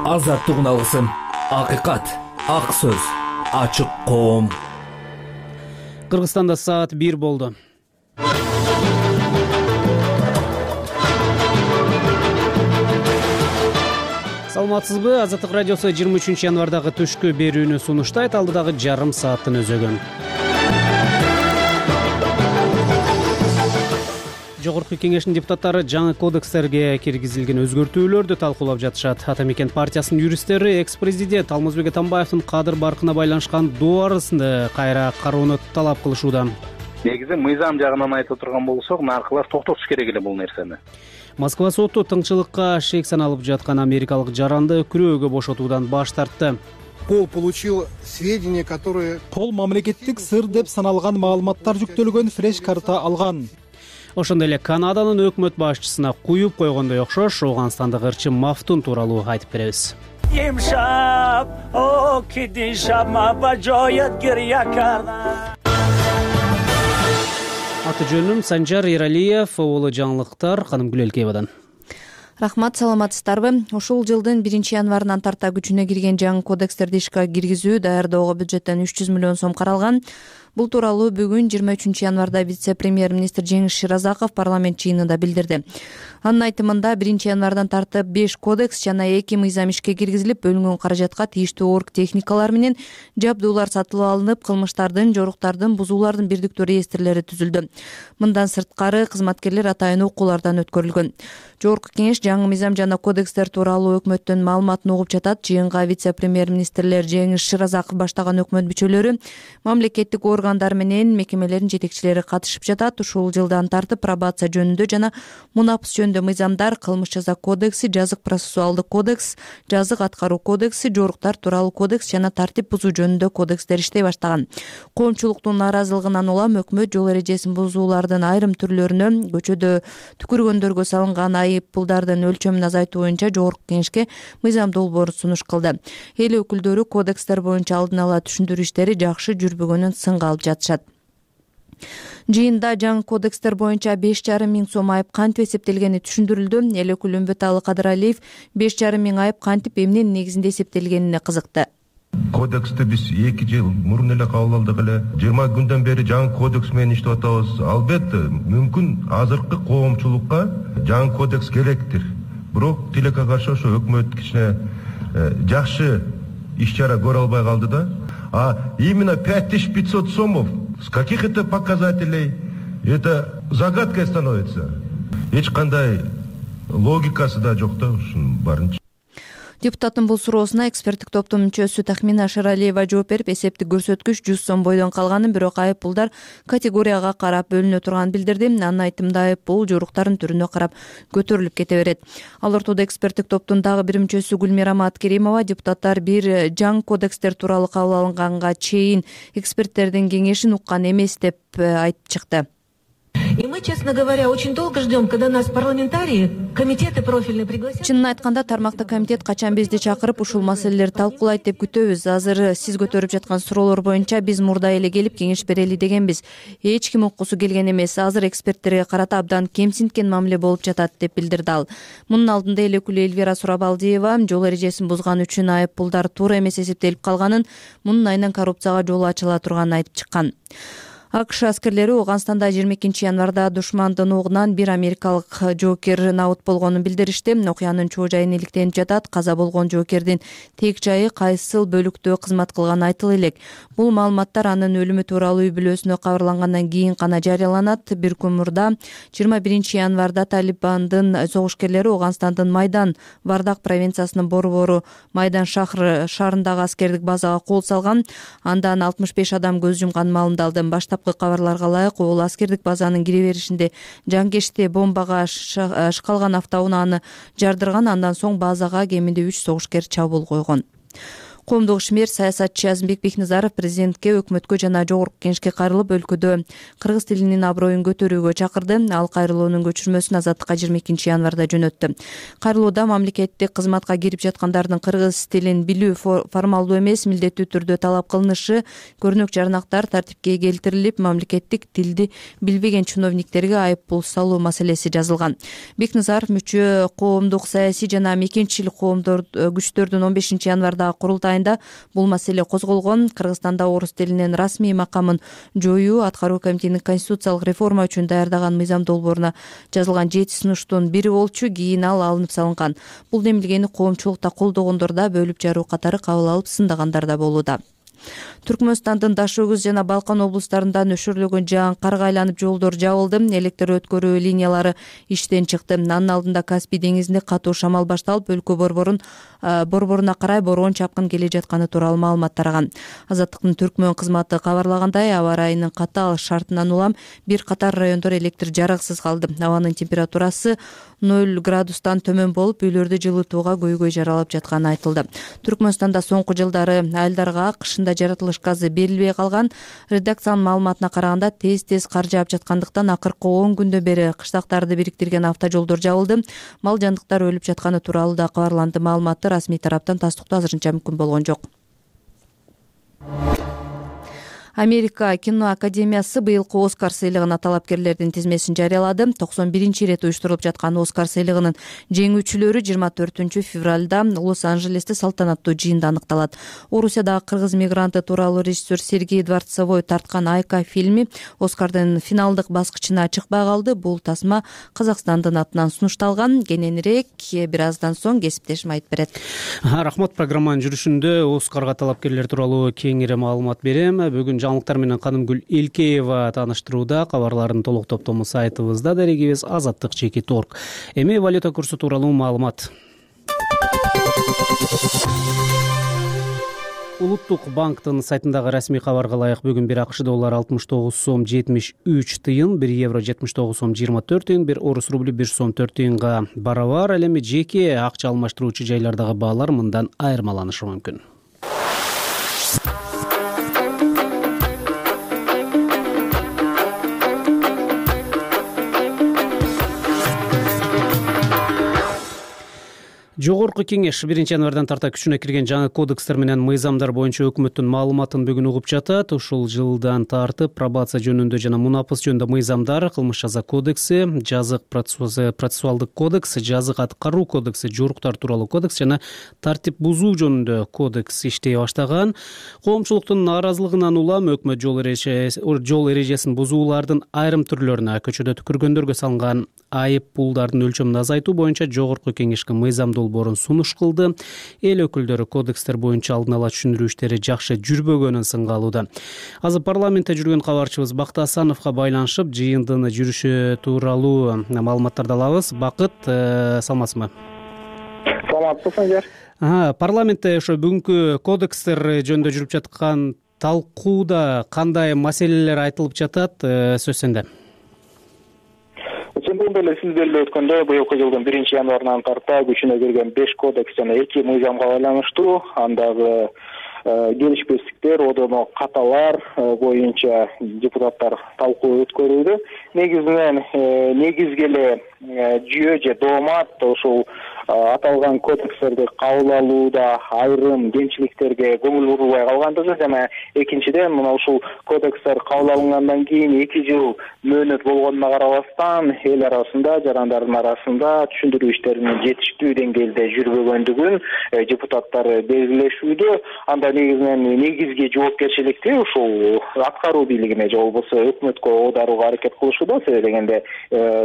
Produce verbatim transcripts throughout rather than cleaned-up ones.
азаттыгын алгысым. Акыйкат, ак сөз, ачык коом. Кыргызстанда саат бир болду. Саламатсызбы? Азаттык радиосу жыйырма үчүнчү январдагы түшкү берүүнү сунуштайт. Алдыдагы жарым сааттын өзөгөн. Жогорку кеңештин депутаттары жаңы кодекстерге киргизилген өзгөртүүлөрдү талкуулап жатышат. Ата мекен партиясынын юристтери экс-президент Алмазбек Атамбаевдин кадыр баркына байланышкан дуарысын кайра кароону талап кылышууда. Негизи мыйзам жагынан айтып турган болсок, наркылар токтотуш керек эле бул нерсени. Москва соту тыңчылыкка шек саналып жаткан америкалык жаранды күрөөгө бошотуудан баш тартты. Пол получил сведения, которые Пол мамлекеттик сыр деп саналган маалыматтар жүктөлгөн флеш-карта алган. Ошондой эле Канаданын өкмөт башчысына куюп койгондой окшош Ооганстандык ырчы Мафтун тууралуу айтып беребиз. Аты жөнүм Санжар Эралиев, оолу жаңылыктар Каным Гүлелкеевадан. Рахмат, саламатсыздарбы? Ушул жылдын биринчи январынан тарта күчүнө кирген жаңы кодекстерди ишке киргизүү даярдоого бюджеттен үч жүз миллион сом каралган. Бул тууралуу бүгүн жыйырма үчүнчү январда вице-премьер-министр Жеңиш Ширазаков парламент жыйынында билдирди. Анын айтымында биринчи январдан тартып беш кодекс жана эки мыйзам ишке киргизилип, бөлүнгөн каражатка тийиштүү орг техникалар менен жабдуулар сатылып алынып, кылмыштардын, жоруктардын, бузуулардын бирдиктүү реестрлери түзүлдү. Мындан сырткары кызматкерлер атайын окуулардан өткөрүлгөн. Жогорку кеңеш жаңы мыйзам жана кодекстер тууралуу өкмөттүн маалыматын угуп жатат. Жыйынга вице-премьер-министрлер Жеңиш Ширазаков баштаган өкмөт мүчөлөрү, мамлекеттик органдар менен мекемелердин жетекчилери катышып жатат. Ушул жылдан тартып пробация жөнүндө жана мунапыс жөнүндө мыйзамдар, кылмыш жаза кодекси, жазык процессуалдык кодекс, жазык аткаруу кодекси, жоруктар тууралуу кодекс жана тартип бузуу жөнүндө кодекстер иштей баштаган. Коомчулуктун нааразылыгынан улам өкмөт жол эрежесин бузуулардын айрым түрлөрүнө, көчөдө түкүргөндөргө салынган айып пулдардын өлчөмүн азайтуу боюнча жогорку кеңешке мыйзам долбоорун сунуш кылды. Эл өкүлдөрү кодекстер боюнча алдын ала түшүндүрүү иштери жакшы жүрбөгөнүн сынга алып жатышат. Жыйында жаңы кодекстер боюнча беш жарым миң сом айып кантип эсептелгени түшүндүрүлдү. Эл өкүлү Үмбөталы Кадыралиев беш жарым миң айып кантип эмненин негизинде эсептелгенине кызыкты. Кодексти биз эки жыл мурун эле кабыл алдык эле. жыйырма күндөн бери жаңы кодекс менен иштеп атабыз. Албетте, мүмкүн азыркы коомчулукка жаңы кодекс керектир. Бирок тилекке каршы ошо өкмөт кичине жакшы иш чара көрө албай калды да. А именно пять тысяч пятьсот сомов, с каких это показателей, это загадкой становится. Эч кандай логикасы да жок да ушунун барынча. Депутаттын бул суроосуна эксперттик топтун мүчөсү Тахмина Шаралиева жооп берип, эсептик көрсөткүч жүз сом бойдон калганын, бирок айып пулдар категорияга карап бөлүнө турганын билдирди. Анын айтымында айып пул жоруктардын түрүнө карап көтөрүлүп кете берет. Ал ортодо эксперттик топтун дагы бир мүчөсү Гүлмирамат Керимова депутаттар бир жаңы кодекстер тууралуу кабыл алынганга чейин эксперттердин кеңешин уккан эмес деп айтып чыкты. И мы, честно говоря, очень долго ждем, когда нас парламентарии, комитеты профильные пригласят. Чынын айтканда тармактык комитет качан бизди чакырып ушул маселелерди талкуулайт деп күтөбүз. Азыр сиз көтөрүп жаткан суроолор боюнча биз мурда эле келип кеңеш берели дегенбиз. Эч ким уккусу келген эмес. Азыр эксперттерге карата абдан кемсинткен мамиле болуп жатат деп билдирди ал. Мунун алдында эл өкүлү Элвира Сурабалдиева жол эрежесин бузган үчүн айып пулдар туура эмес эсептелип калганын, мунун айынан коррупцияга жол ачыла турганын айтып чыккан. АКШ аскерлери Ооганстанда жыйырма экинчи январда душмандын огунан бир америкалык жоокер набыт болгонун билдиришти. Окуянын чоо жайы иликтенип жатат. Каза болгон жоокердин тек жайы кайсыл бөлүктө кызмат кылганы айтыла элек. Бул маалыматтар анын өлүмү тууралуу үй бүлөсүнө кабарлангандан кийин гана жарыяланат. Бир күн мурда жыйырма биринчи январда Талибандын согушкерлери Ооганстандын Майдан Вардак провинциясынын борбору Майдан шаар шаарындагы аскердик базага кол салган. Андан алтымыш беш адам көз жумган маалымдалды. Баштапкы кабарларга ылайык, ол аскердик базанын кире беришинде жангечте бомбага шкалган автоунааны жардырган. Андан соң базага кеминде үч согушкер чабуул койгон. Коомдук ишмер саясатчы Азимбек Бекназаров президентке, өкмөткө жана жогорку кеңешке кайрылып, өлкөдө кыргыз тилинин аброюн көтөрүүгө чакырды. Ал кайрылуунун көчүрмөсүн Азаттыкка жыйырма экинчи январда жөнөттү. Кайрылууда мамлекеттик кызматка кирип жаткандардын кыргыз тилин билүү формалдуу эмес, милдеттүү түрдө талап кылынышы, көрнөк жарнактар тартипке келтирилип, мамлекеттик тилди билбеген чиновниктерге айып пул салуу маселеси жазылган. Бекназаров мүчө коомдук саясий жана мекенчилик коомдор күчтөрдүн он бешинчи январдагы курултайында бул маселе козголгон. Кыргызстанда орус тилинин расмий макамын жоюу аткаруу комитетинин конституциялык реформа үчүн даярдаган мыйзам долбооруна жазылган жети сунуштун бири болчу. Кийин ал алынып салынган. Бул демилгени коомчулукта колдогондор да, бөлүп жаруу катары кабыл алып сындагандар да болууда. Түркмөнстандын Даш Өгүз жана Балкан облустарында нөшөрлөгөн жаан карга айланып жолдор жабылды. Электр өткөрүү линиялары иштен чыкты. Анын алдында Каспий деңизинде катуу шамал башталып, өлкө борборун борборуна карай борон чапкын келе жатканы тууралуу маалымат тараган. Азаттыктын Түркмөн кызматы кабарлагандай, аба ырайынын катаал шартынан улам бир катар райондор электр жарыксыз калды. Абанын температурасы ноль градустан төмөн болуп, үйлөрдү жылытууга көйгөй жаралып жатканы айтылды. Түркмөнстанда соңку жылдары айылдарга кышында жаратылыш газы берилбей калган. Редакциянын маалыматына караганда, тез-тез кар жаап жаткандыктан акыркы он күндөн бери кыштактарды бириктирген автожолдор жабылды. Мал жандыктар өлүп жатканы тууралуу да кабарланды. Маалыматты расмий тараптан тастыктоо азырынча мүмкүн болгон жок. Америка кино академиясы быйылкы Оскар сыйлыгына талапкерлердин тизмесин жарыялады. токсон биринчи ирет уюштурулуп жаткан Оскар сыйлыгынын жеңүүчүлөрү жыйырма төртүнчү февралда Лос-Анжелесте салтанаттуу жыйында аныкталат. Орусиядагы кыргыз мигранты тууралуу режиссер Сергей Дворцовой тарткан «Айка» фильми Оскардын финалдык баскычына чыкпай калды. Бул тасма Казакстандын атынан сунушталган. Кененирээк бир аздан соң кесиптешим айтып берет. Рахмат. Программанын жүрүшүндө Оскарга талапкерлер тууралуу кеңири маалымат берем. Бүгүн жаңылыктар менен Канымгүл Элкеева тааныштырууда. Кабарлардын толук топтому сайтыбызда, дарегибиз азаттык чеки точка орг. Эми валюта курсу тууралуу маалымат. Улуттук банктын сайтындагы расмий кабарга ылайык бүгүн бир АКШ доллары алтымыш тогуз сом жетимиш үч тыйын, бир евро жетимиш тогуз сом жыйырма төрт тыйын, бир орус рублю бир сом төрт тыйынга барабар. Ал эми жеке акча алмаштыруучу жайлардагы баалар мындан айырмаланышы мүмкүн. Жогорку кеңеш биринчи январдан тарта күчүнө кирген жаңы кодекстер менен мыйзамдар боюнча өкмөттүн маалыматын бүгүн угуп жатат. Ушул жылдан тартып пробация жөнүндө жана мунапыс жөнүндө мыйзамдар, кылмыш жаза кодекси, жазык процессуалдык кодекс, жазык аткаруу кодекси, жоруктар тууралуу кодекс жана тартип бузуу жөнүндө кодекс иштей баштаган. Коомчулуктун нааразылыгынан улам өкмөт жол эрежесин бузуулардын айрым түрлөрүнө, көчөдө түкүргөндөргө салынган айып пулдардын өлчөмүн азайтуу боюнча жогорку кеңешке мыйзам долбоорун сунуш кылды. Эл өкүлдөрү кодекстер боюнча алдын ала түшүндүрүү иштери жакшы жүрбөгөнүн сынга алууда. Азыр парламентте жүргөн кабарчыбыз Бакыт Асановго байланышып, жыйындын жүрүшү тууралуу маалыматтарды алабыз. Бакыт, саламатсызбы? Саламатсыз, Санжар. Парламентте ошо бүгүнкү кодекстер жөнүндө жүрүп жаткан талкууда кандай маселелер айтылып жатат? Сөз сенде. Чындыгында эле сиз белгилеп өткөндөй, быйылкы жылдын биринчи январынан тарта күчүнө кирген беш кодекс жана эки мыйзамга байланыштуу андагы келишпестиктер, одоно каталар боюнча депутаттар талкуу өткөрүүдө. Негизинен негизги эле жүйө же доомат ушул аталган кодекстерди кабыл алууда айрым кемчиликтерге көңүл бурулбай калгандыгы жана экинчиден мына ушул кодекстер кабыл алынгандан кийин эки жыл мөөнөт болгонуна карабастан эл арасында, жарандардын арасында түшүндүрүү иштеринин жетиштүү деңгээлде жүрбөгөндүгүн депутаттар белгилешүүдө. Анда негизинен негизги жоопкерчиликти ушул аткаруу бийлигине же болбосо өкмөткө оодарууга аракет кылышууда. Себеби дегенде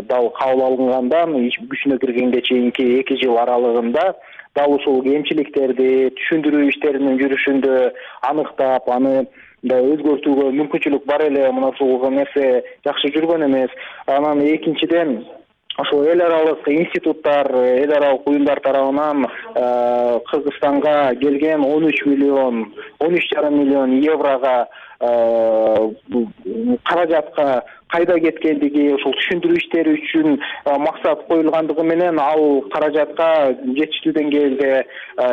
дал кабыл алынгандан күчүнө киргенге чейинки эки жыл аралыгында дал ушул кемчиликтерди түшүндүрүү иштеринин жүрүшүндө аныктап, аны да өзгөртүүгө мүмкүнчүлүк бар эле. Мына ушул нерсе жакшы жүргөн эмес. Анан экинчиден ошол эл аралык институттар, эл аралык уюмдар тарабынан Кыргызстанга келген он үч миллион, он үч жарым миллион еврога каражатка кайда кеткендиги, ошол түшүндүрүү иштери үчүн максат коюлгандыгы менен ал каражатка жетиштүү деңгээлде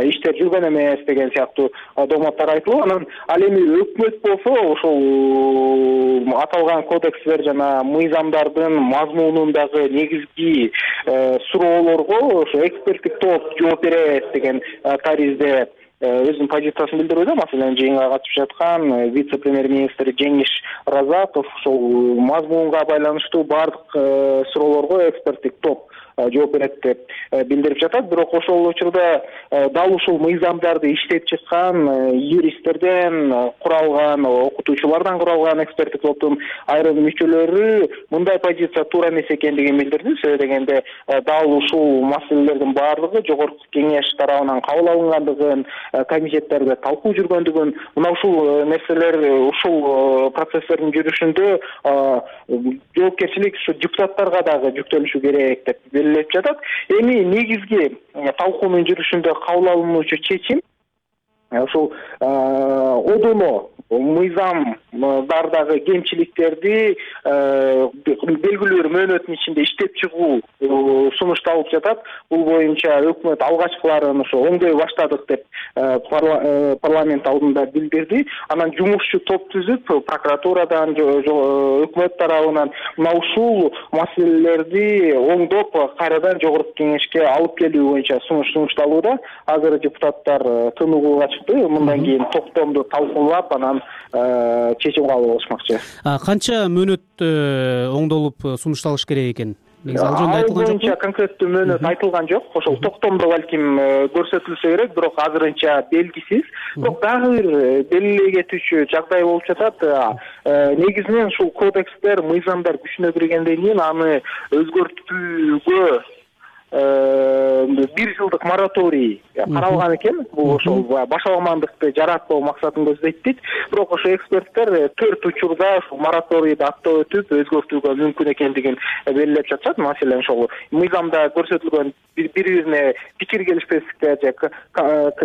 иштер жүргөн эмес деген сыяктуу дооматтар айтылып, анан ал эми өкмөт болсо ошол аталган кодекстер жана мыйзамдардын мазмунундагы негизги суроолорго ошо эксперттик топ жооп берет деген таризде өзүнүн позициясын билдирүүдө. Маселен, жыйынга катышып жаткан вице-премьер-министр Жеңиш Разаков ошол мазмунга байланыштуу баардык суроолорго эксперттик топ жооп берет деп билдирип жатат. Бирок ошол учурда дал ушул мыйзамдарды иштеп чыккан юристтерден куралган, окутуучулардан куралган эксперттик топтун айрым мүчөлөрү мындай позиция туура эмес экендигин билдирди. Себеби дегенде дал ушул маселелердин баардыгы жогорку кеңеш тарабынан кабыл алынгандыгын, комитеттерде талкуу жүргөндүгүн, мына ушул нерселер, ушул процесстердин жүрүшүндө жоопкерчилик ушу депутаттарга дагы жүктөлүшү керек деп белгилеп жатат. Эми негизги талкуунун жүрүшүндө кабыл алынуучу чечим ушул одоно мыйзамдардагы кемчиликтерди белгилүү бир мөөнөттүн ичинде иштеп чыгуу сунушталып жатат. Бул боюнча өкмөт алгачкыларын ошо оңдой баштадык деп парламент алдында билдирди. Анан жумушчу топ түзүп, прокуратурадан, өкмөт тарабынан мына ушул маселелерди оңдоп, кайрадан жогорку кеңешке алып келүү боюнча сунуш сунушталууда. Азыр депутаттар тыныгууга чыкты. Мындан кийин токтомду талкуулап, анан чечим кабыл алышмакчы. Канча мөөнөт оңдолуп сунушталыш керек экен? Негизи ал жөнүндө айтылган жокпу? Боюнча конкреттүү мөөнөт айтылган жок. Ошол токтомдо балким көрсөтүлсө керек, бирок азырынча белгисиз. Бирок дагы бир белгилей кетүүчү жагдай болуп жатат. Негизинен ушул кодекстер, мыйзамдар күчүнө киргенден кийин аны өзгөртүүгө бир жылдык мораторий каралган экен. Бул ошол башаламандыкты жаратпоо максатын көздөйт дейт. Бирок ошо эксперттер төрт учурда ушул мораторийди аттап өтүп өзгөртүүгө мүмкүн экендигин белгилеп жатышат. Маселен, ошол мыйзамда көрсөтүлгөн бири-бирине пикир келишпестиктер же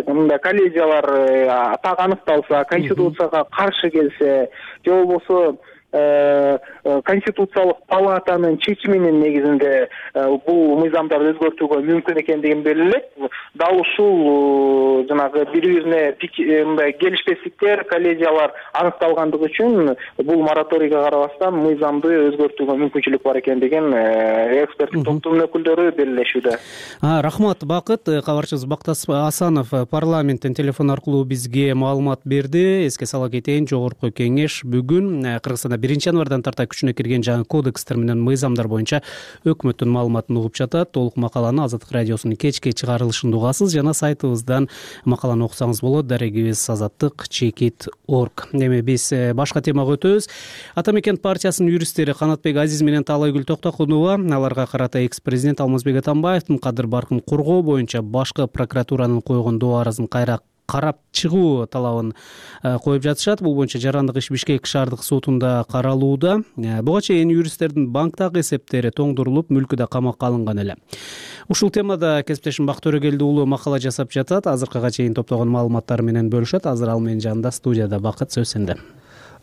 мындай коллизиялар так аныкталса, конституцияга каршы келсе, же болбосо Конституциялык палатанын чечиминин негизинде бул мыйзамдарды өзгөртүүгө мүмкүн экендигин белгилеп, дал ушул жанагы бири-бирине мындай келишпестиктер, коллизиялар аныкталгандыгы үчүн бул мораторийге карабастан мыйзамды өзгөртүүгө мүмкүнчүлүк бар экендигин эксперттик топтун өкүлдөрү белгилешүүдө. Рахмат, Бакыт. Кабарчыбыз Бактас Асанов парламенттен телефон аркылуу бизге маалымат берди. Эске сала кетейин, жогорку кеңеш бүгүн Кыргызстанда биринчи январдан тарта күчүнө кирген жаңы кодекстер менен мыйзамдар боюнча өкмөттүн маалыматын угуп жатат. Толук макаланы Азаттык радиосунун кечки чыгарылышында угасыз жана сайтыбыздан макаланы окусаңыз болот. Дарегибиз азаттык чекит точка орг. Эми биз башка темага өтөбүз. Ата мекен партиясынын юристтери Канатбек Азиз менен Таалайгүл Токтокунова аларга карата экс-президент Алмазбек Атамбаевдин кадыр баркын коргоо боюнча башкы прокуратуранын койгон доо арызын кайра карап чыгуу талабын коюп жатышат. Бул боюнча жарандык иш Бишкек шаардык сотунда каралууда. Буга чейин юристтердин банктагы эсептери тоңдурулуп, мүлкү да камакка алынган эле. Ушул темада кесиптешим Бак Төрөгелди уулу макала жасап жатат. Азыркыга чейин топтогон маалыматтар менен бөлүшөт. Азыр ал менин жанымда студияда. Бакыт, сөз сенде.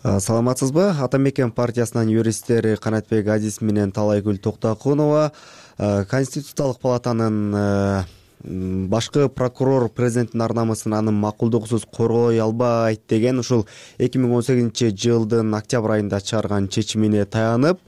Саламатсызбы? Ата мекен партиясынын юристтери Канатбек Азиз менен Таалайгүл Токтокунова Конституциялык палатанын башкы прокурор президенттин ар намысын анын макулдугусуз коргой албайт деген ушул эки миң он сегизинчи жылдын октябрь айында чыгарган чечимине таянып,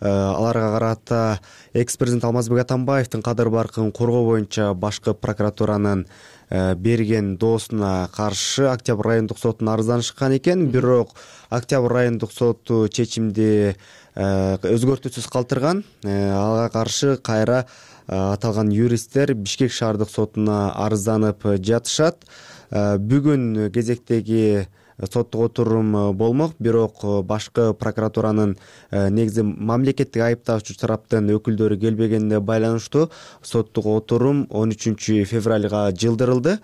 аларга карата экс-президент Алмазбек Атамбаевдин кадыр баркын коргоо боюнча башкы прокуратуранын берген доосуна каршы октябрь райондук сотуна арызданышкан экен. Бирок октябрь райондук соту чечимди өзгөртүүсүз калтырган. Ага каршы кайра аталган юристтер Бишкек шаардык сотуна арызданып жатышат. Бүгүн кезектеги соттук отурум болмок, бирок башкы прокуратуранын негизи мамлекеттик айыптаучу тараптын өкүлдөрү келбегенине байланыштуу соттук отурум он үчүнчү февралга жылдырылды.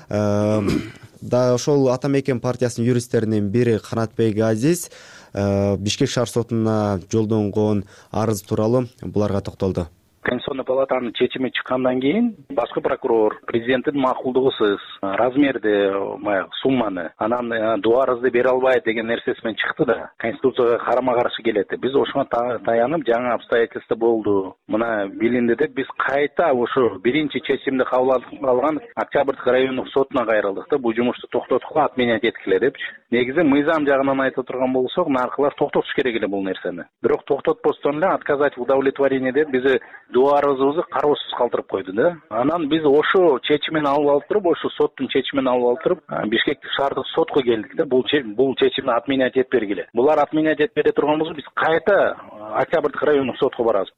Да ошол Ата мекен партиясынын юристтеринин бири Канатбек Азиз Бишкек шаар сотуна жолдонгон арыз тууралуу буларга токтолду. Конституционный палатанын чечими чыккандан кийин башкы прокурор президенттин макулдугусуз размерди баягы сумманы анан доо арызды бере албайт деген нерсеси менен чыкты да Конституцияга карама каршы келет. Биз ошого таянып жаңы обстоятельства болду, мына билинди деп биз кайта ошо биринчи чечимди кабыл алган Октябрьдик райондук сотуна кайрылдык да бул жумушту токтоткула отменять эткиле депчи. Негизи мыйзам жагынан айта турган болсок, наркылар токтотуш керек эле бул нерсени. Бирок токтотпостон эле отказать в удовлетворении деп бизи доо арызыбызды кароосуз калтырып койду да. Анан биз ошо чечимин алып алып туруп, ошо соттун чечимин алып алып туруп, Бишкектик шаардык сотко келдик да. Бул бул чечимди отменять этип бергиле. Булар отменять этип бере турган болсо, биз кайта Октябрьдик райондук сотко барабыз.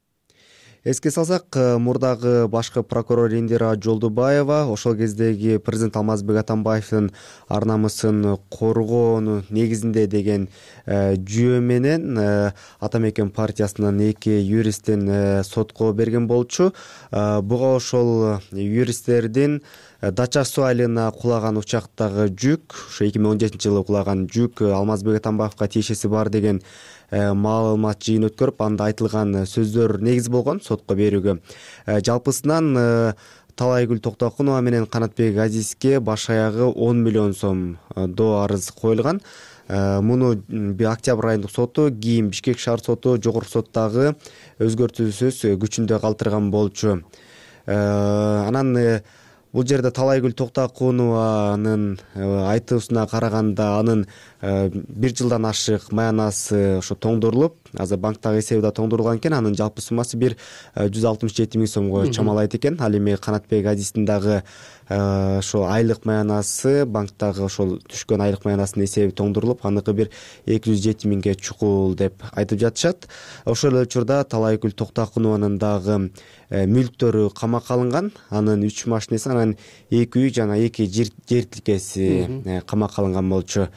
Эске салсак, мурдагы башкы прокурор Индира Жолдубаева ошол кездеги президент Алмазбек Атамбаевдин ар намысын коргоонун негизинде деген жүйө менен Ата Мекен партиясынын эки юристин сотко берген болчу. Буга ошол юристтердин Дача суу айылына кулаган учактагы жүк, ошо эки миң он жетинчи жылы кулаган жүк Алмазбек Атамбаевга тиешеси бар деген маалымат жыйын өткөрүп, анда айтылган сөздөр негиз болгон сотко берүүгө. Жалпысынан Талайгүл Токтокунова менен Канатбек Азизге баш аягы он миллион сом доо арыз коюлган. Муну октябрь айындык соту, кийин Бишкек шаар соту, жогорку соттагы өзгөртүүсүз күчүндө калтырган болчу. Анан бул жерде Талайгүл Токтокунованын айтуусуна караганда анын бир жылдан ашык маянасы ошо тоңдурулуп, азыр банктагы эсеби да тоңдурулган экен. Анын жалпы суммасы бир жүз алтымыш жети миң сомго чамалайт экен. Ал эми Канатбек Азиздин дагы ошо айлык маянасы, банктагы ошол түшкөн айлык маянасынын эсеби тоңдурулуп, аныкы бир эки жүз жети миңге чукул деп айтып жатышат. Ошол эле учурда Талайгүл Токтокунованын дагы мүлктөрү камакка алынган. Анын үч машинеси, анан эки үй жана эки жер тилкеси камакка алынган болчу.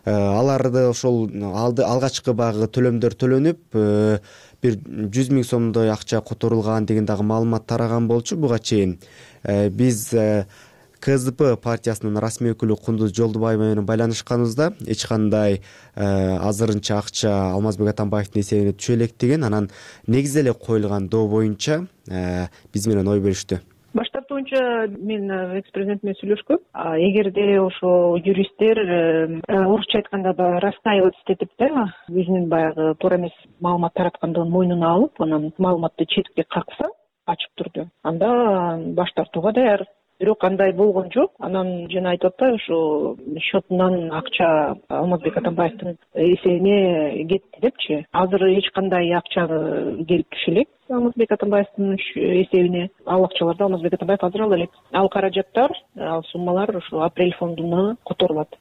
Аларды ошол алгачкы багы төлөмдөр төлөнүп, бир жүз миң сомдой акча которулган деген дагы маалымат тараган болчу. Буга чейин биз КЗП партиясынын расмий өкүлү Кундуз Жолдубаева менен байланышканыбызда эч кандай азырынча акча Алмазбек Атамбаевдин эсебине түшө электигин, анан негизи эле коюлган доо боюнча биз менен ой бөлүштү. Баш тартуунча мен экс-президент менен сүйлөшкөм. Эгерде ошо юристтер орусча айтканда расстаивать этип да, өзүнүн баягы туура эмес маалымат тараткандыгын мойнуна алып, анан маалыматты четке какса ачык түрдө, анда баш тартууга даяр. Бирок андай болгон жок. Анан жана айтып атпайбы, ошо счетунан акча Алмазбек Атамбаевдин эсебине кетти депчи. Азыр эч кандай акча келип түшө элек Алмазбек Атамбаевдин эсебине. Ал акчаларды Алмазбек Атамбаев азыр ала элек. Ал каражаттар, ал суммалар ошо апрель фондуна которулат.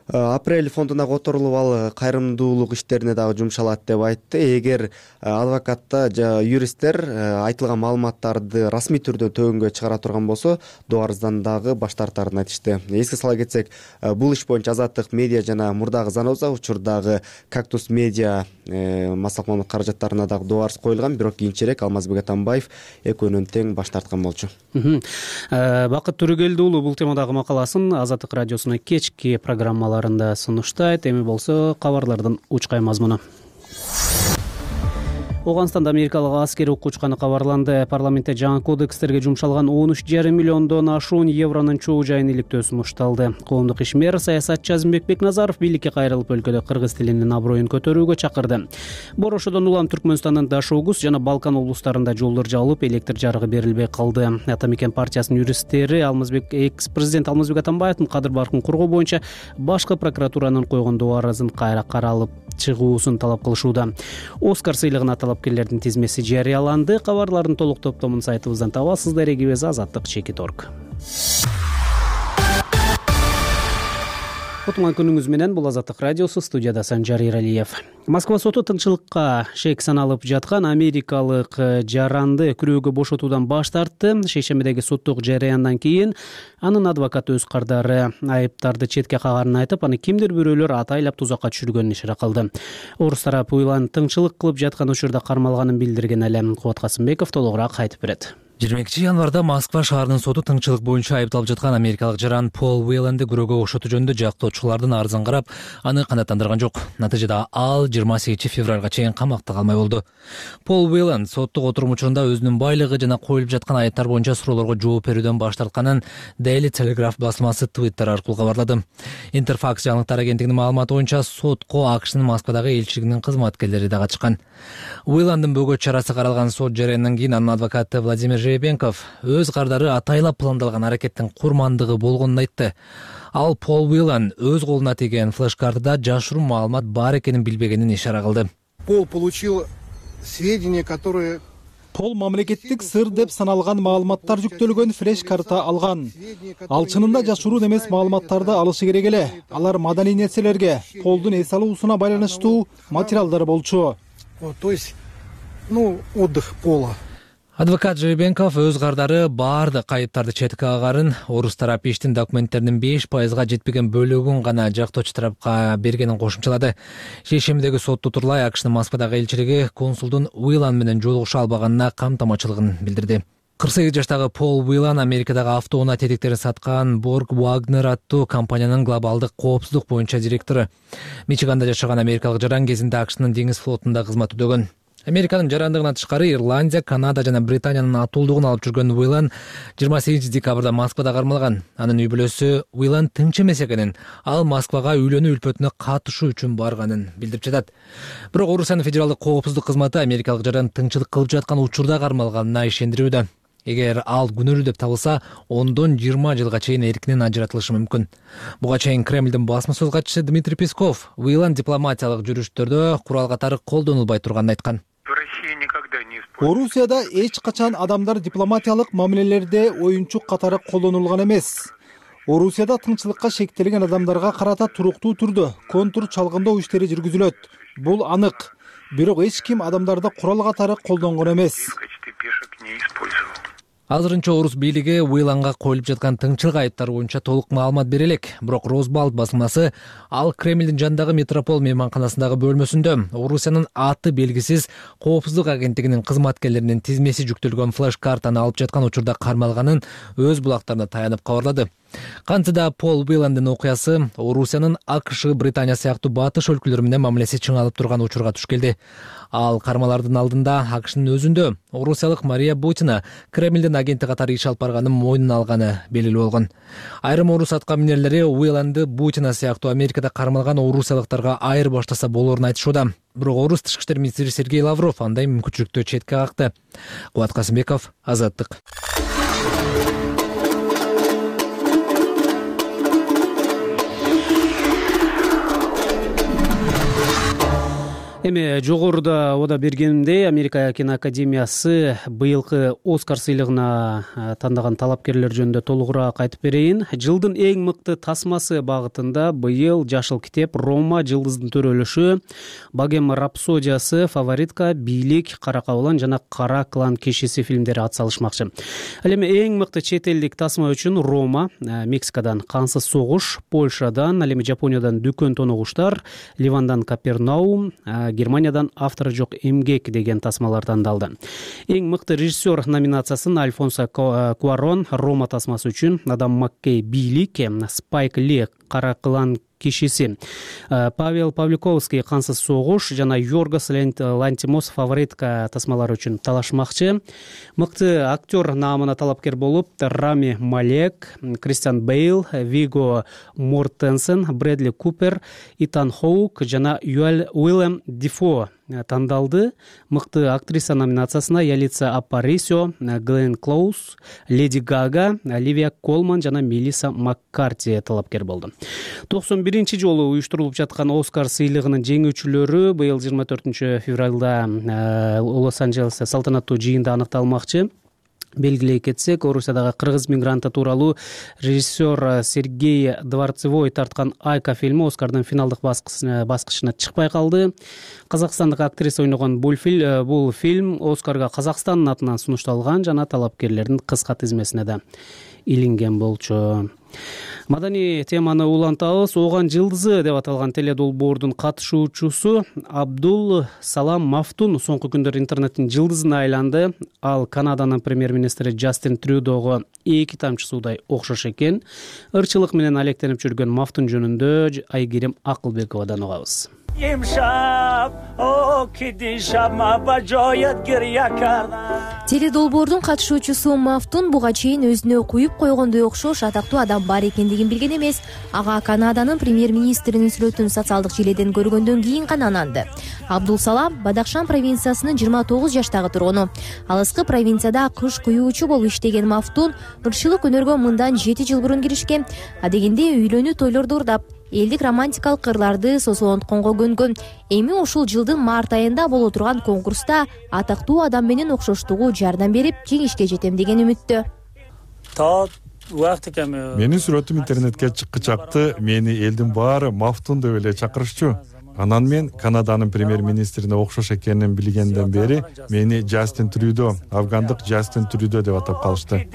Апрель фондуна которулуп, ал кайрымдуулук иштерине дагы жумшалат деп айтты. Эгер адвокаттар же юристтер айтылган маалыматтарды расмий түрдө төгүнгө чыгара турган болсо, доо арыздан дагы баш тартарын айтышты. Эске сала кетсек, бул иш боюнча Азаттык медиа жана мурдагы Заноза учурдагы Кактус медиа массалык маалымат каражаттарына дагы доо арыз коюлган, бирок кийинчерээк Алмазбек Атамбаев экөөнүн тең баш тарткан болчу. Бакыт Төрөгелди уулу бул темадагы макаласын Азаттык радиосунун кечки программалары сунуштайт. Эми болсо кабарлардын учкай мазмуну. Ооганстанда америкалык аскер окуучканы кабарланды. Парламентте жаңы кодекстерге жумшалган он үч жарым миллиондон ашуун евронун чогуу жайын иликтөө сунушталды. Коомдук ишмер саясатчы Азимбек Бекназаров бийликке кайрылып өлкөдө кыргыз тилинин аброюн көтөрүүгө чакырды. Борошодон улам Түркмөнстандын Дашогуз жана Балкан облустарында жолдор жабылып, электр жарыгы берилбей калды. Ата Мекен партиясынын юристтери Алмазбек экс-президент Алмазбек Атамбаевдин кадыр баркын коргоо боюнча башкы прокуратуранын койгон доо арызын кайра каралып чыгуусун талап кылышууда. Оскар сыйлыгына талапкерлердин тизмеси жарыяланды. Кабарлардын толук топтомун сайтыбыздан табасыздар. Эгибиз Азаттык чекит точка орг. Отуңан күнүңүз менен бул Азаттык радиосу, студияда Санжар Иралиев. Москва соту тынчылыкка шек саналып жаткан америкалык жаранды күрөөгө бошотуудан баш тартты. Шейшембидеги соттук жараяндан кийин анын адвокаты өз кардары айыптарды четке кагаарын айтып, аны кимдир бирөөлөр атайлап тузакка түшүргөнүн ишара кылды. Орус тарапы уйлан тыңчылык кылып жаткан учурда кармалганын билдирген эле. Кубат Касымбеков толугураак айтып берет. жыйырма экинчи январда Москва шаарынын соту тыңчылык боюнча айыпталып жаткан америкалык жаран Пол Уэйланды күрөөгө кошотуу жөнүндө жактоочулардын арызын карап, аны канааттандырган жок. Натыйжада ал жыйырма сегизинчи февралга чейин камакта калмай болду. Пол Уэйланд соттук отурум учурунда өзүнүн байлыгы жана коюлуп жаткан айыптар боюнча суроолорго жооп берүүдөн баш тартканын Daily Telegraph басмасы Twitter аркылуу кабарлады. Interfax жаңылыктар агенттигинин маалыматы боюнча сотко АКШнын Москвадагы элчилигинин кызматкерлери да катышкан. Уэйландын бөгөт чарасы каралган сот жарыяндан кийин анын адвокаты Владимир Жеребенков өз кардары атайлап пландалган аракеттин курмандыгы болгонун айтты. Ал Пол Уэйланд өз колуна тийген флеш-картада жашыруун маалымат бар экенин билбегенин ишара кылды. Пол получил сведения, которые Пол мамлекеттик сыр деп саналган маалыматтар жүктөлгөн флеш-карта алган. Ал чынында жашыруун эмес маалыматтарды алышы керек эле. Алар маданий нерселерге, Полдун эс алуусуна байланыштуу материалдар болчу. То есть, ну, отдых Пола. Адвокат Жеребенков өз кардары баардык айыптарды четке кагарын, орус тарапы иштин документтеринин беш пайызга жетпеген бөлүгүн гана жактоочу тарапка бергенин кошумчалады. Шейшембидеги сотто турулай АКШнын Москвадагы элчилиги консулдун Уэйланд менен жолугуша албаганына камтамачылыгын билдирди. кырк сегиз жаштагы Пол Уэйланд Америкадагы автоунаа тетиктерин саткан Borg Wagner аттуу компаниянын глобалдык коопсуздук боюнча директору. Мичиганда жашаган америкалык жаран кезинде АКШнын деңиз флотунда кызмат өтөгөн. Американын жарандыгынан тышкары Ирландия, Канада жана Британиянын атуулдугун алып жүргөн Уэйланд жыйырма сегизинчи декабрда Москвада кармалган. Анын үй бүлөсү Уэйланд тынч эмес экенин, ал Москвага үйлөнүү үлпөтүнө катышуу үчүн барганын билдирип жатат. Бирок Орусиянын федералдык коопсуздук кызматы америкалык жаран тыңчылык кылып жаткан учурда кармалганына ишендирүүдө. Эгер ал күнөөлүү деп табылса, ондон жыйырма жылга чейин эркинен ажыратылышы мүмкүн. Буга чейин Кремлдин басма сөз катчысы Дмитрий Песков Уэйланд дипломатиялык жүрүштөрдө курал катары колдонулбай турганын айткан. Орусияда эч качан адамдар дипломатиялык мамилелерде оюнчук катары колдонулган эмес. Орусияда тынчылыкка шектелген адамдарга карата туруктуу түрдө контур чалгындоо иштери жүргүзүлөт. Бул анык. Бирок эч ким адамдарды курал катары колдонгон эмес. Азырынча орус бийлиги Уэйландга коюлуп жаткан тыңчылык айыптары боюнча толук маалымат бере элек. Бирок Росбалт басмасы ал Кремлдин жандагы Метрополь мейманканасындагы бөлмөсүндө Орусиянын аты белгисиз коопсуздук агенттигинин кызматкерлеринин тизмеси жүктөлгөн флеш-картаны алып жаткан учурда кармалганын өз булактарына таянып кабарлады. Кантсе да Пол Уэйландын окуясы Орусиянын АКШ, Британия сыяктуу батыш өлкөлөрү менен мамилеси чыңалып турган учурга туш келди. Ал кармалардын алдында АКШнын өзүндө орусиялык Мария Бутина Кремлдин агенти катары иш алып барганын мойнуна алганы белгилүү болгон. Айрым орус атка минерлери Уэйланды Бутина сыяктуу Америкада кармалган орусиялыктарга айыр баштаса болоорун айтышууда. Бирок орус тышкы иштер министри Сергей Лавров андай мүмкүнчүлүктү четке какты. Кубат Касымбеков, Азаттык. Эми жогоруда ода бергенимдей Америка киноакадемиясы быйылкы Оскар сыйлыгына тандаган талапкерлер жөнүндө толугураак айтып берейин. Жылдын эң мыкты тасмасы багытында быйыл Жашыл китеп, Рома, Жылдыздын төрөлүшү, Богема рапсодиясы, Фаворитка, Бийлик, Кара кабылан жана Кара клан кешеси фильмдери атсалышмакчы. Ал эми эң мыкты чет элдик тасма үчүн Рома, Мексикадан Кансыз согуш, Польшадан, ал эми Жапониядан Дүкөн тоногуштар, Ливандан Капернаум, Германиядан Автору жок эмгек деген тасмалар тандалды. Эң мыкты режиссер номинациясын Альфонсо Куарон Рома тасмасы үчүн, Адам Маккей Бийлик, Спайк Ли Кара клан кишиси, Павел Павликовский Кансыз согуш жана Йоргос Лантимос Фаворитка тасмалары үчүн талашмакчы. Мыкты актер наамына талапкер болуп Рами Малек, Кристиан Бейл, Виго Мортенсен, Брэдли Купер, Итан Хоук жана Уиллем Дефо тандалды. Мыкты актриса номинациясына Ялица Апарисио, Глен Клоуз, Леди Гага, Оливия Колман жана Мелисса Маккарти талапкер болду. токсон биринчи жолу уюштурулуп жаткан Оскар сыйлыгынын жеңүүчүлөрү быйыл жыйырма төртүнчү февралда Лос-Анджелесте салтанаттуу жыйында аныкталмакчы. Белгилей кетсек, Орусиядагы кыргыз мигранты тууралуу режиссер Сергей Дворцевой тарткан Айка фильми Оскардын финалдык баскычына чыкпай калды. Казакстандык актриса ойногон бул фильм Оскарга Казакстандын атынан сунушталган жана талапкерлердин кыска тизмесине да илинген болчу. Маданий теманы улантабыз. Ооган жылдызы деп аталган теледолбоордун катышуучусу Абдул Салам Мафтун соңку күндөр интернеттин жылдызына айланды. Ал Канаданын премьер-министри Джастин Трюдого эки тамчы суудай окшош экен. Ырчылык менен алектенип жүргөн Мафтун жөнүндө Айгерим Акылбековадан угабыз. Теледолбоордун катышуучусу Мафтун буга чейин өзүнө куюп койгондой окшош атактуу адам бар экендигин билген эмес. Ага Канаданын премьер-министринин сүрөтүн социалдык желеден көргөндөн кийин гана ананды. Абдул Салам Бадахшан провинциясынын жыйырма тогуз жаштагы тургуну. Алыскы провинцияда кыш куюучу болуп иштеген Мафтун ырчылык өнөргө мындан жети жыл мурун киришкен. Адегенде үйлөнүү тойлорду ырдап, элдик романтикалык кырларды сосолонтконго көнгөн. Эми ушул жылдын март айында боло турган конкурста атактуу адам менен окшоштугу жардам берип, жеңишке жетем деген үмүттө. Менин сүрөтүм интернетке чыккы чакты мени элдин баары Мафтун деп эле чакырышчу. Анан мен Канаданын премьер-министрине окшош экенин билгенден бери мени Джастин Трюдо, афгандык Джастин Трюдо деп атап калышты.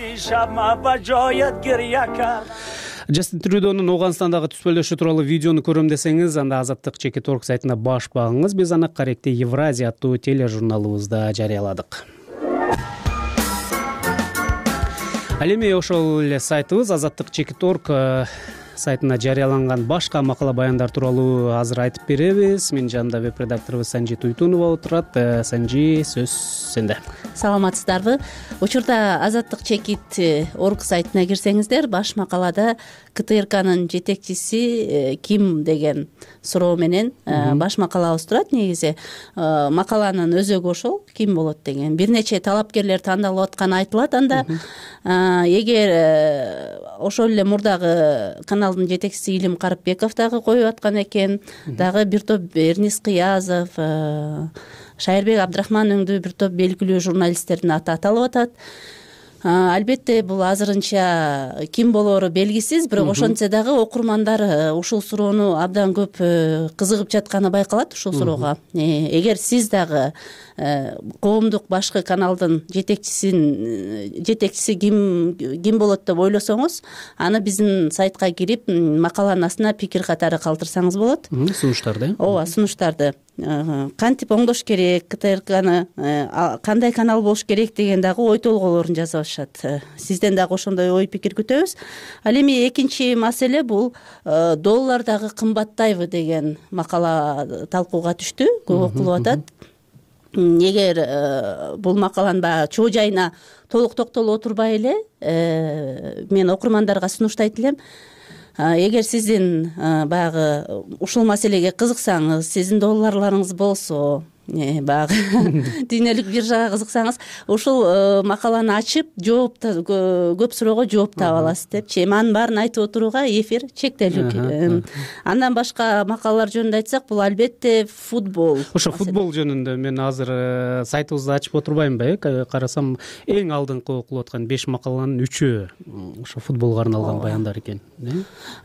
Джастин Трюдонун Ооганстандагы түспөлдөшү тууралуу видеону көрөм десеңиз, анда Азаттык Чекит орг сайтына баш багыңыз. Биз аны Каректе Евразия аттуу тележурналыбызда жарыяладык. Ал эми ошол эле сайтыбыз Азаттык Чекит орг сайтына жарыяланган башка макала баяндар тууралуу азыр айтып беребиз. Менин жанымда веб-редакторубуз Санжи Туйтунова отурат. Санжи, сөз сенде. Саламатсыздарбы? Учурда Азаттык Чекит орг сайтына кирсеңиздер, баш макалада КТРКнын жетекчиси ким деген суроо менен баш макалабыз турат. Негизи макаланын өзөгү ошол, ким болот деген. Бир нече талапкерлер тандалып атканы айтылат анда. Эгер ошол эле мурдагы каналдын жетекчиси Илим Карыпбеков дагы коюп аткан экен, дагы бир топ Эрнис Кыязов, Шайырбек Абдрахман өңдүү бир топ белгилүү журналисттердин аты аталып атат. Албетте бул азырынча ким болоору белгисиз, бирок ошентсе дагы окурмандар ушул суроону абдан көп кызыгып жатканы байкалат ушул суроого. Эгер сиз дагы коомдук башкы каналдын жетекчисин жетекчиси ким ким болот деп ойлосоңуз, аны биздин сайтка кирип макаланын астына пикир катары калтырсаңыз болот. Сунуштарды. Ооба, сунуштарды. Кантип оңдош керек, КТРКны кандай канал болуш керек деген дагы ой толгоолорун жазышат. Сизден дагы ошондой ой пикир күтөбүз. Ал эми экинчи маселе бул доллар дагы кымбаттайбы деген макала талкууга түштү, көп окулуп атат. Эгер бул макаланын баягы чоо жайына толук токтолуп отурбай эле, мен окурмандарга сунуштайт элем. Эгер сиздин баягы ушул маселеге кызыксаңыз, сиздин долларларыңыз болсо, баягы дүйнөлүк биржага кызыксаңыз, ушул макаланы ачып, жооп көп суроого жооп таап аласыз депчи. Эми анын баарын айтып отурууга эфир чектелүү. Андан башка макалалар жөнүндө айтсак, бул албетте футбол. Ошо футбол жөнүндө мен азыр сайтыбызды ачып отурбаймынбы, э? Карасам, эң алдыңкы окулуп аткан беш макаланын үчөө ошо футболго арналган баяндар экен.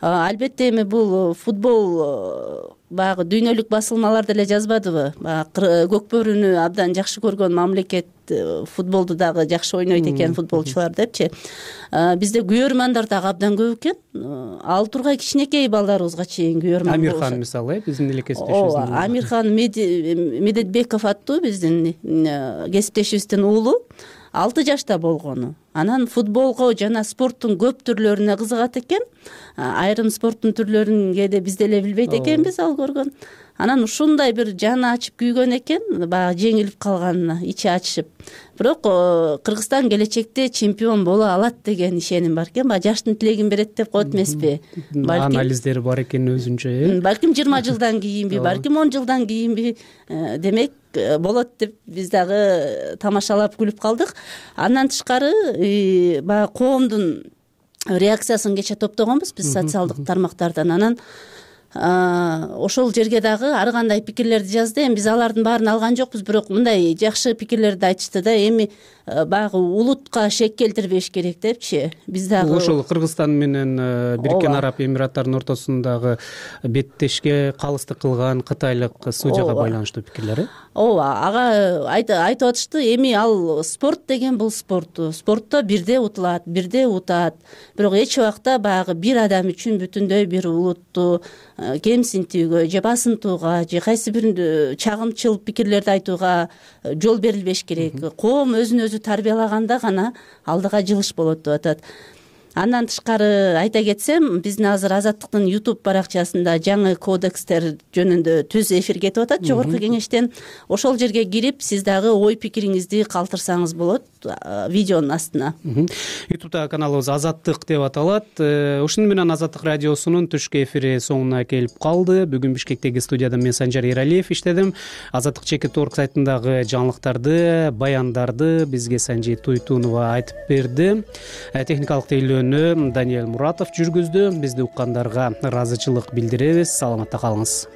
Албетте эми бул футбол баягы дүйнөлүк басылмалар деле жазбадыбы? Көкбөрүнү абдан жакшы көргөн мамлекет футболду дагы жакшы ойнойт экен футболчулар депчи. Бизде күйөрмандар дагы абдан көп экен. Ал тургай кичинекей балдарыбызга чейин күйөрман болушат. Амирхан мисалы, биздин эле кесиптешибиз. Ооба, Амирхан Медетбеков аттуу биздин кесиптешибиздин уулу алты жашта болгону. Анан футболго жана спорттун көп түрлөрүнө кызыгат экен. Айрым спорттун түрлөрүн кээде биз деле билбейт экенбиз, ал көргөн. Анан ушундай бир жаны ачып күйгөн экен, баягы жеңилип калганына ичи ачышып. Бирок Кыргызстан келечекте чемпион боло алат деген ишеним бар экен. Баягы жаштын тилегин берет деп коет эмеспи? Анализдери бар экен өзүнчө, э? Балким жыйырма жылдан кийинби, балким он жылдан кийинби, демек болот деп биз дагы тамашалап күлүп калдык. Андан тышкары баягы коомдун реакциясын кече топтогонбуз биз социалдык тармактардан. Анан ошол жерге дагы ар кандай пикирлерди жазды. Эми биз алардын баарын алган жокпуз, бирок мындай жакшы пикирлерди айтышты да. Эми баягы улутка шек келтирбеш керек депчи. Биз дагы ошол Кыргызстан менен Бириккен Араб Эмираттарынын ортосундагы беттешке калыстык кылган кытайлык судьяга байланыштуу пикирлер. Ооба, ага айтып атышты. Эми ал спорт деген бул спорт. Спортто бирде утулат, бирде утат. Бирок эч убакта баягы бир адам үчүн бүтүндөй бир улутту кемсинтүүгө же басынтууга же кайсы бир чагымчыл пикирлерди айтууга жол берилбеш керек. Коом өзүн өзү тарбиялаганда гана алдыга жылыш болот деп атат. Андан тышкары айта кетсем, биздин азыр Азаттыктын YouTube баракчасында жаңы кодекстер жөнүндө түз эфир кетип атат жогорку кеңештен. Ошол жерге кирип, сиз дагы ой пикириңизди калтырсаңыз болот видеонун астына. YouTube'да каналыбыз Азаттык деп аталат. Ушуну менен Азаттык радиосунун түшкү эфири соңуна келип калды. Бүгүн Бишкектеги студияда мен Санжар Эралиев иштедим. Азаттык чекит орг сайтындагы жаңылыктарды, баяндарды бизге Санжи Туйтунова айтып берди. Техникалык тейлөөнү Даниэль Муратов жүргүздү. Бизди уккандарга ыраазычылык билдиребиз. Саламатта калыңыз.